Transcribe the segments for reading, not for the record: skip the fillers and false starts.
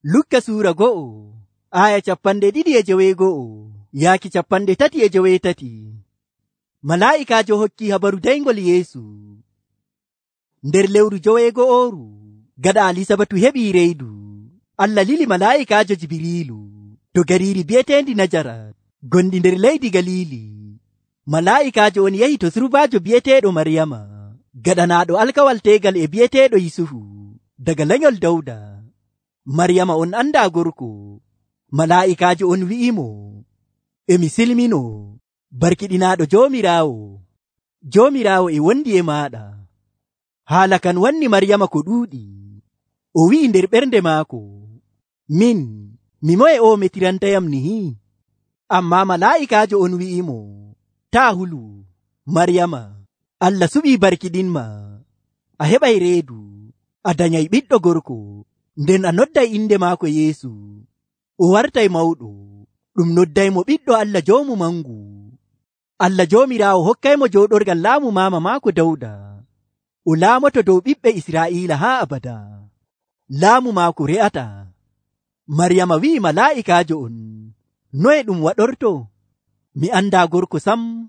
Lukka suura 1 aya 252 yaaki 353. Malaa'ikaajo hokki habaru daygol Yeesu. Nder lewru 14 gaɗa Alisabatu heɓi reydu, Allah lili malaa'ikaajo Jibriilu to gariiri bi'eteendi Najarat gondi nder leydi Galili. Malaa'ikaajo on yahi to surbaajo bi'eteeɗo Maryama, gaɗanaaɗo alkawal teegal e bi'eteeɗo Yusufu daga lanyol Dawda. Maryama on anda gorko. Malaa'ikaajo on wi'imo, emi silmino, barkiɗinaaɗo Joomiraawo. Joomiraawo e wondi e maaɗa. Haala kan wanni Maryama ko ɗuuɗi. O wi'i nder ɓernde maako, min, mi moye o metirantayam nihi? Ammaa malaa'ikaajo on wi'imo, taa hulu, Maryama, Allah suɓii barkiɗinma. A heɓay reedu, a danyay ɓiɗɗo gorko, nden a nodday inde maako Yeesu. O wartay mawɗo, ɗum noddaymo ɓiɗɗo Allah Joomu Mangu. Allah Joomiraawo hokkaymo jooɗorgal laamu maama maako Dawda. O laamoto dow ɓiɓɓe Israa'iila haa abada. Laamu maako re'ata. Maryama wi'i malaa'ikaajo on, noye ɗum waɗorto? Mi andaa gorko sam.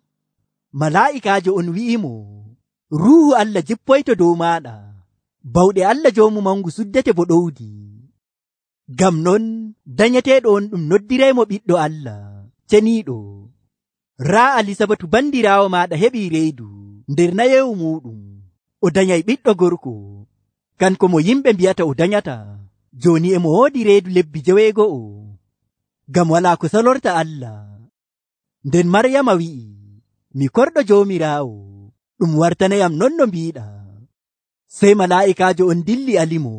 Malaa'ikaajo on wi'imo, Ruuhu Allah jippoyto dow maaɗa. Bawɗe Allah Joomu Mangu suddete bo ɗowdi. Ngam non danyeteeɗo on ɗum noddiraymo ɓiɗɗo Allah ceniiɗo. Raa Alisabatu bandiraawo maaɗa heɓii reydu nder nayewu muuɗum. O danyay ɓiɗɗo gorko, kanko mo yimɓe mbi'ata o danyata. Jooni emo woodi reedu lebbi 9, ngam walaa ko salorta Allah. Nden Maryama wi'i, mi korɗo Joomiraawo, ɗum wartanayam non no mbiiɗa. Sey malaa'ikaajo on dilli alimo.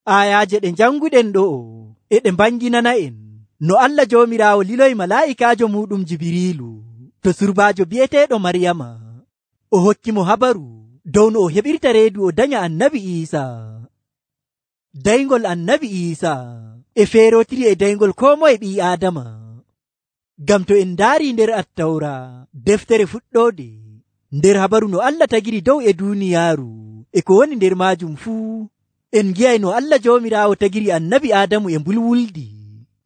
Ayaaje ɗe janguɗen ɗo'o e ɗe mbanginana en no Allah Joomiraawo liloy malaa'ikaajo muɗum Jibriilu to surbaajo bi'eteeɗo Maryama. O hokki mo habaru dow no o heɓirta reedu o danya annabi Iisaa. Daygol annabi Iisaa e feerotiri e daygol koo moye ɓii Aadama. Ngam to en ndaari nder Attawra deftere fuɗɗoode, nder habaru no Allah tagiri dow e duuniyaaru e ko woni nder maajum fuu, en ngi'ay no Allah Joomiraawo tagiri annabi Aadamu e mbulwuldi.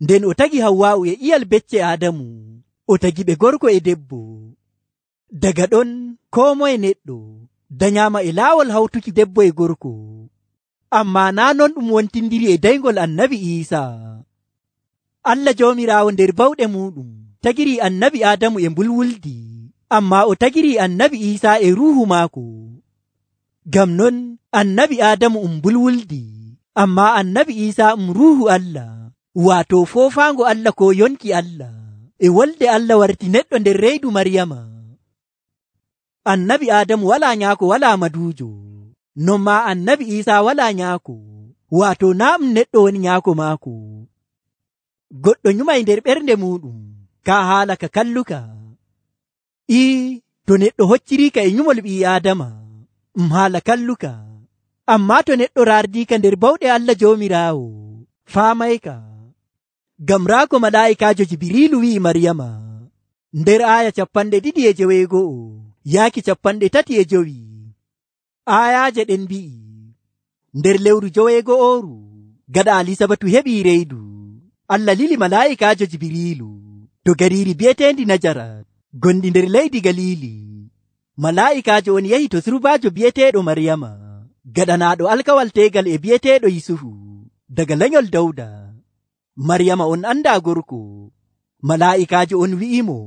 Nden o tagi Hawwaa'u e iyal becce Aadamu, o tagi ɓe gorko e debbo. Daga ɗon koo moye neɗɗo danyaama e laawol hawtuki debbo e gorko. Ammaa naa non ɗum wontindiri e daygol annabi Iisaa. Allah Joomiraawo nder bawɗe muɗum tagiri annabi Aadamu e mbulwuldi, ammaa o tagiri annabi Iisaa e ruuhu maako. Ngam non annabi Aadamu mbulwuldi, ammaa annabi Iisaa ruuhu Allah, waato foofaango Allah ko yonki Allah. E wolde Allah warti neɗɗo nder reydu Maryama. Annabi Aadamu walaa nyaako walaa maduujo, non maa annabi Iisaa walaa nyaako, waato naa neɗɗo woni nyaako maako. Goɗɗo nyumay nder ɓernde muɗum kaa haala ka kalluka. To neɗɗo hocciriika e nyumol ɓii Aadama, haala kalluka. Ammaa to neɗɗo raardiika nder bawɗe Allah Joomiraawo, faamayka. Ngam raa ko malaa'ikaajo Jibriilu wi'i Maryama nder aya 251 yaaki 35. Ayaaje ɗen mbi'i, nder lewru 14 gaɗa Alisabatu heɓii reydu, Allah lili malaa'ikaajo Jibriilu to gariiri bi'eteendi Najarat gondi nder leydi Galili. Malaa'ikaajo on yahi to surbaajo bi'eteeɗo Maryama, gaɗanaaɗo alkawal teegal e bi'eteeɗo Yusufu daga lanyol Dawda. Maryama on anda gorko. Malaa'ikaajo on wi'imo,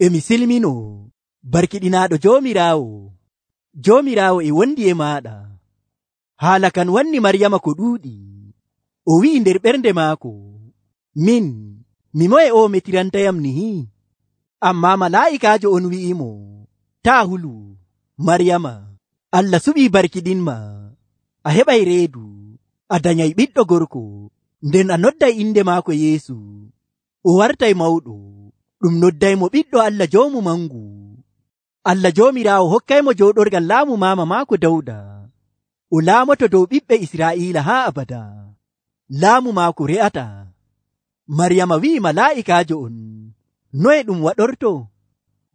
emi silmino, barkiɗinaaɗo Joomiraawo. Joomiraawo e wondi e maaɗa. Haala kan wanni Maryama ko ɗuuɗi. O wi'i nder ɓernde maako, min, mi moye o metirantayam nihi? Ammaa malaa'ikaajo on wi'imo, taa hulu, Maryama, Allah suɓii barkiɗinma. A heɓay reedu, a danyay ɓiɗɗo gorko, nden a nodday inde maako Yeesu. O wartay mawɗo, ɗum noddaymo ɓiɗɗo Allah Joomu Mangu. Allah Joomiraawo hokkaymo jooɗorgal laamu maama maako Dawda. O laamoto dow ɓiɓɓe Israa'iila haa abada. Laamu maako re'ata. Maryama wi'i malaa'ikaajo on, noye ɗum waɗorto?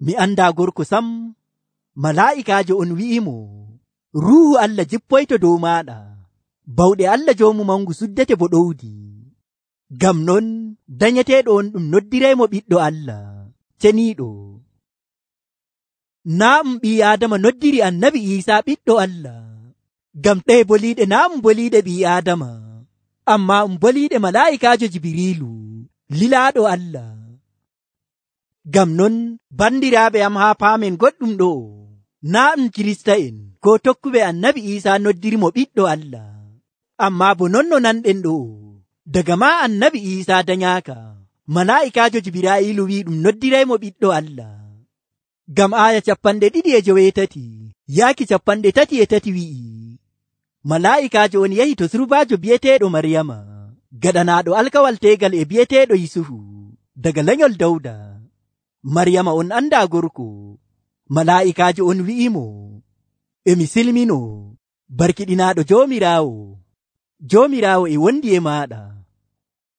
Mi andaa gorko sam. Malaa'ikaajo on wi'imo, Ruuhu Allah jippoyto dow maaɗa. bawɗe Allah joomu mangu suddete bo ɗowdi. Ngam non danyeteeɗo on ɗum noddiraymo ɓiɗɗo Allah ceniiɗo. Naa ɓii Aadama noddiri annabi Iisaa ɓiɗɗo Allah, ngam ɗee boliiɗe naa boliiɗe ɓii Aadama, ammaa boliiɗe malaa'ikaajo Jibiriilu lilaaɗo Allah. Ngam non bandiraaɓe am haa paamen goɗɗum ɗo, naa Kirista'en koo tokkuɓe annabi Iisaa noddirimo ɓiɗɗo Allah, ammaa bo non no nanɗen ɗo, daga maa annabi Iisaa danyaaka, malaa'ikaajo Jibraa'iilu wi'i ɗum noddiraymo ɓiɗɗo Allah. Ngam aaya 2:8 yaaki 3:3 wi'i, malaa'ikaajo on yahi to surbaajo bi'eteeɗo Maryama, gaɗanaaɗo alkawal teegal e bi'eteeɗo Yusufu daga lanyol Dawda. Maryama on andaa gorko. Malaa'ikaajo on wi'imo, emi silmino, barkiɗinaaɗo Joomiraawo. Joomiraawo e wondi e maaɗa.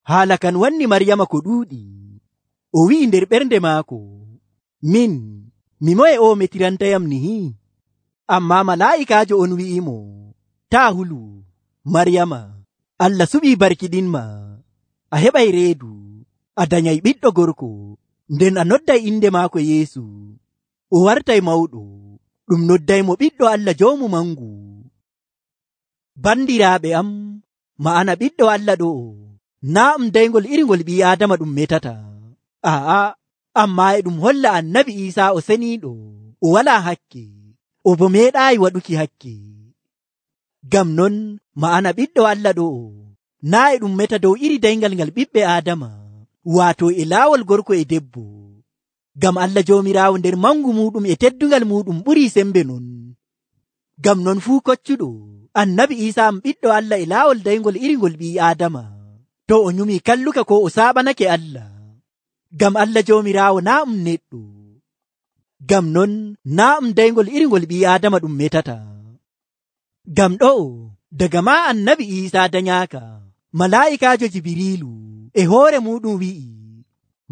Haala kan wanni Maryama ko ɗuuɗi. O wi'i nder ɓernde maako, min, mi moye o metirantayam nihi? Ammaa malaa'ikaajo on wi'imo, taa hulu, Maryama, Allah suɓii barkiɗinma, a heɓay reedu, a danyay ɓiɗɗo gorko, nden a nodday inde maako Yeesu. O wartay mawɗo, ɗum noddaymo ɓiɗɗo Allah joomu mangu. Bandiraaɓe am, ma'ana ɓiɗɗo Allah ɗo, naa dayngol irngol ɓii Aadama ɗum metata. Ammaa e ɗum holla annabi Iisaa o seniiɗo, o walaa hakke, o bo meeɗaayi waɗuki hakke. Ngam non ma'ana ɓiɗɗo Allah ɗo, naa e ɗum meta dow iri dayngal ngal ɓiɓɓe Aadama, waato e laawol gorko e debbo. Ngam Allah Joomiraawo nder mangu muɗum e teddungal muɗum ɓurii sembe non. Ngam non fuu koccuɗo annabi Iisaa ɓiɗɗo Allah e laawol dayngol irngol ɓii Aadama, to o nyumi kalluka ko o saaɓanake Allah. Ngam Allah Joomiraawo naa neɗɗo. Ngam non naa dayngol irngol ɓii Aadama ɗum metata. Ngam ɗo daga maa annabi Iisaa danyaaka, malaa'ikaajo Jibiriilu e hoore muɗum wi'i,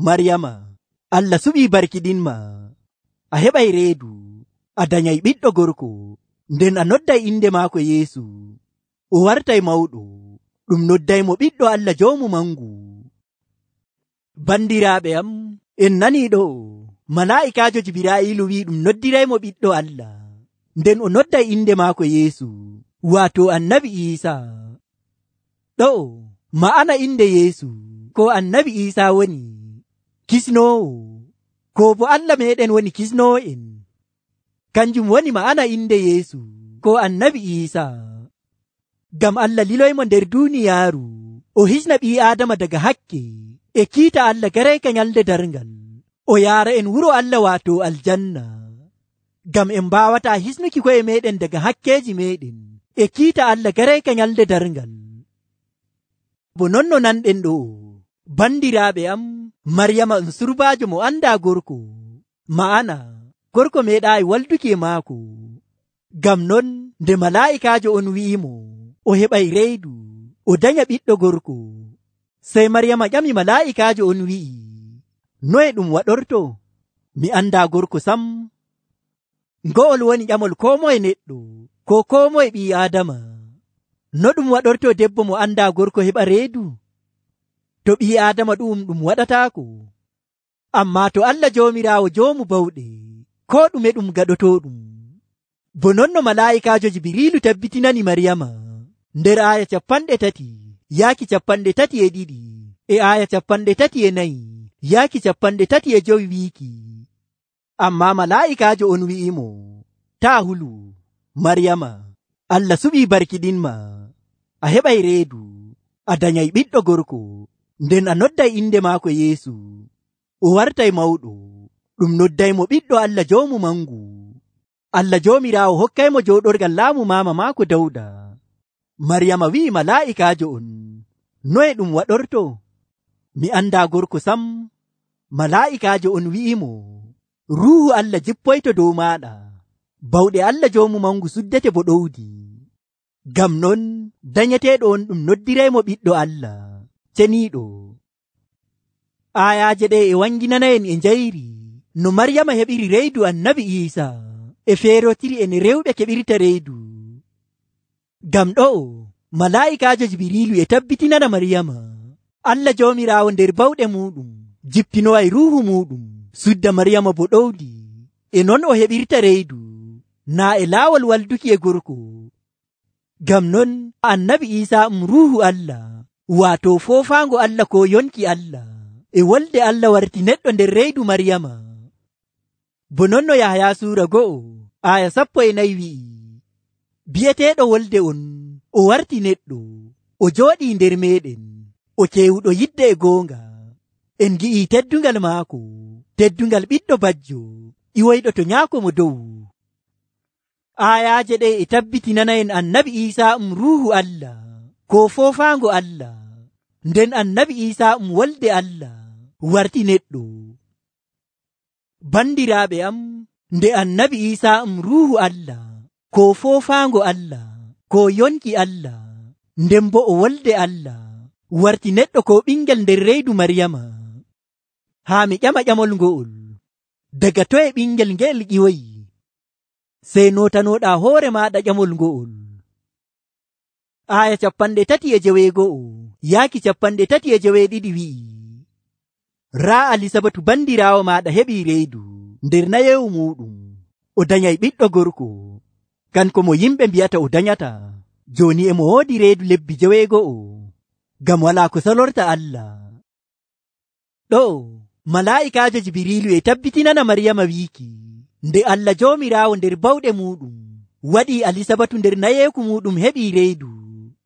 Maryama, Allah suɓii barkiɗinma, a heɓay reedu, a danyay ɓiɗɗo gorko, nden a nodday inde maako Yeesu. O wartay mawɗo, ɗum noddaymo ɓiɗɗo Allah joomu mangu. Bandiraaɓe am, en nanii ɗo, malaa'ikaajo Jibraa'iilu wi'i ɗum noddiraymo ɓiɗɗo Allah, nden o nodday inde maako Yeesu, waato annabi Iisaa. Ɗo ma'ana inde Yeesu ko annabi Iisaa woni kisnoowo, ko bo Allah meeɗen woni kisnoowo en. Kanjum woni ma'ana inde Yeesu ko annabi Iisaa. Ngam Allah liloymo nder duuniyaaru, o hisna ɓii Aadama daga hakke e kiita Allah garayka nyalde darngal, o yaara en wuro Allah waato aljanna. Ngam en mbaawata hisnuki ko'e meɗen daga hakkeeji meɗen e kiita Allah garayka nyalde darngal. Bo non no nanɗen ɗo, bandiraaɓe am, Maryama surbaajo mo andaa gorko, ma'ana gorko meeɗaayi walduki e maako. Ngam non nde malaa'ikaajo on wi'imo o heɓay reedu, o danya ɓiɗɗo gorko, sey Maryama ƴami malaa'ikaajo on wi'i, noye ɗum waɗorto? Mi andaa gorko sam. Ngo'ol woni ƴamol koo moye neɗɗo, ko koo moye ɓii Aadama. No ɗum waɗorto debbo mo andaa gorko heɓa reedu? To ɓii Aadama ɗum waɗataako. Ammaa to Allah Joomiraawo joomu bawɗe, koo ɗume ɗum gaɗotooɗum. Bo non no malaa'ikaajo Jibriilu tabbitinani Maryama nder aaya 30 yaaki 32 e aaya 34 yaaki 35 wiiki. Ammaa malaa'ikaajo on wi'imo, taa hulu, Maryama, Allah suɓii barkiɗinma, a heɓay reedu, a danyay ɓiɗɗo gorko, nden a nodday inde maako Yeesu. O wartay mawɗo, ɗum noddaymo ɓiɗɗo Allah joomu mangu. Allah Joomiraawo hokkaymo jooɗorgal laamu maama maako Dawda. Maryama wi'i malaa'ikaajo on, noye ɗum waɗorto? Mi andaa gorko sam. Malaa'ikaajo on wi'imo, Ruuhu Allah jippoyto dow maaɗa, bawɗe Allah joomu mangu suddete bo ɗowdi. Ngam non danyeteeɗo on ɗum noddiraymo ɓiɗɗo Allah ceniiɗo. Aayaaje ɗe e wanginanayen e njayri no Maryama heɓiri reedu annabi Iisaa e feerotiri en rewɓe keɓirta reedu. Ngam ɗo malaa'ikaajo Jibriilu e tabbitinana Maryama Allah Joomiraawo nder bawɗe muuɗum jippinoway ruuhu muuɗum sudda Maryama bo ɗowdi. E non o heɓirta reedu naa e laawol walduki e gorko. Ngam non annabi Iisaa ruuhu Allah, waato foofaango Allah ko yonki Allah e wolde Allah warti neɗɗo nder reedu Maryama. Bo non no Yahaya suura 1:14 wi'i, bi'eteeɗo wolde on o warti neɗɗo, o jooɗii nder meeɗen, o keewuɗo yidde e goonga. En gi'ii teddungal maako, teddungal ɓiɗɗo bajjo iwoyɗo to nyaako mo dow. Aayaaje ɗe e tabbitinana en annabi Iisaa ruuhu Allah ko foofaango Allah, nden annabi Iisaa wolde Allah warti neɗɗo. Bandiraaɓe am, nde annabi Iisaa ruuhu Allah ko foofaango Allah ko yonki Allah, nden bo o wolde Allah warti neɗɗo ko ɓingel nder reedu Maryama. Haa mi ƴama ƴamol ngo'ol, daga toye ɓingel ngel ƴiwoyi? Sey notanoɗa hoore maɗa ƴamol ngo'ol. Aya 39 yaaki 32 wi'i, raa Alisabatu bandiraawo maɗa heɓi reedu nder nayewu muɗum, o danyay ɓiɗɗo gorko, kanko mo yimɓe mbi'ata o danyata. Joni emo woodi reedu lebbi 9, ngam walaa ko salorta Allah. Ɗo malaa'ikaajo Jibriilu e tabbitinana Maryama wiiki, nde Allah Joomiraawo nder bawɗe muɗum waɗii Alisabatu nder nayeeku muɗum heɓi reedu,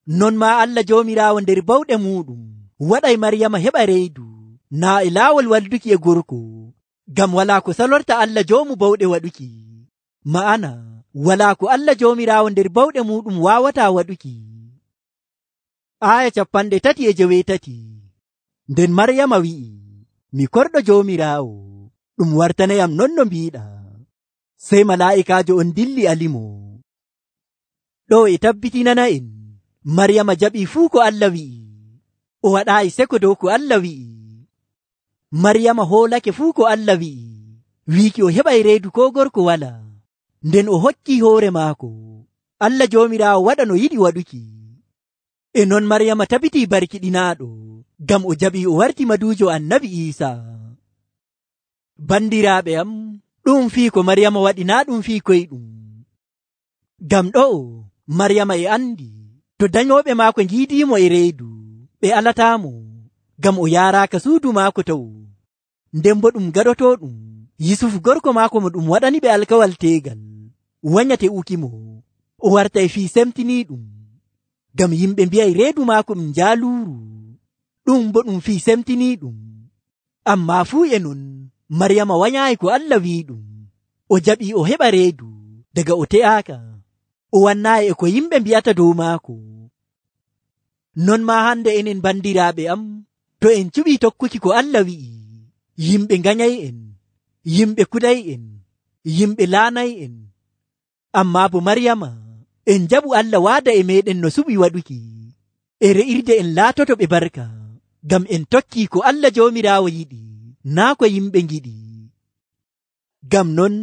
non maa Allah Joomiraawo nder bawɗe muɗum waɗay Maryama heɓa reedu naa e laawol walduki e gorko, ngam walaa ko salorta Allah joomu bawɗe waɗuki. Ma'ana walaa ko Allah Joomiraawo nder bawɗe muɗum waawataa waɗuki. Aya 38 nden Maryama wi'i, mi korɗo Joomiraawo, ɗum wartanayam non no mbiiɗa. Sey malaa'ikaajo on dilli alimo. Ɗo e tabbitinana en Maryama jaɓii fuu ko Allah wi'i, o waɗaayi seko dow ko Allah wi'i. Maryama hoolake fuu ko Allah wi'i, wiiki o heɓay reedu ko gorko wala, nden o hokkii hoore maako Allah Joomiraawo waɗa no yiɗi waɗuki. E non Maryama tabitii barkiɗinaaɗo, ngam o jaɓii o warti maduujo annabi Iisaa. Bandiraaɓe am, ɗum fii ko Maryama waɗi naa ɗum fii koyɗum. Ngam ɗo Maryama e andi to danyooɓe maako ngiidiimo e reedu, ɓe alataamo, ngam o yaaraaka suudu maako taw. Nden bo ɗum gaɗotooɗum Yusufu gorko maako mo ɗum waɗani ɓe alkawal teegal wanyate ukimo, o wartay fii semtiniiɗum, ngam yimɓe mbi'ay reedu maako ɗum jaaluuru, ɗum bo ɗum fii semtiniiɗum. Ammaa fuu e non Maryama wanyaayi ko Allah wi'iɗum, o jaɓii o heɓa reedu daga o te'aaka, o wannaayi e ko yimɓe mbi'ata dow maako. Non maa hande enen bandiraaɓe am, to en cuɓii tokkuki ko Allah wi'i, yimɓe nganyay en, yimɓe kuɗay en, yimɓe laanay en. Ammaa bo Maryama en jaɓu Allah waada e meɗen no suɓi waɗuki, e re'irde en laatoto ɓe barka, ngam en tokkii ko Allah Joomiraawo yiɗi, naa ko yimɓe ngiɗi. Ngam non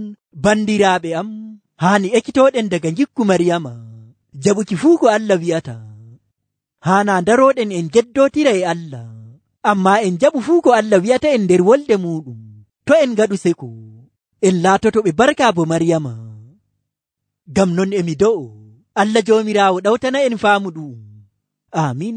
bandiraaɓe am, haani ekkitooɗen daga ngikku Maryama jaɓuki fuu ko Allah wi'ata. Haana darooɗen en geddootira e Allah, ammaa en jaɓu fuu ko Allah wi'ata en nder wolde muɗum. To en ngaɗu seko, en laatoto ɓe barka bo Maryama. Ngam non emi do'o Allah Joomiraawo ɗawtana en faamu ɗum. Amin.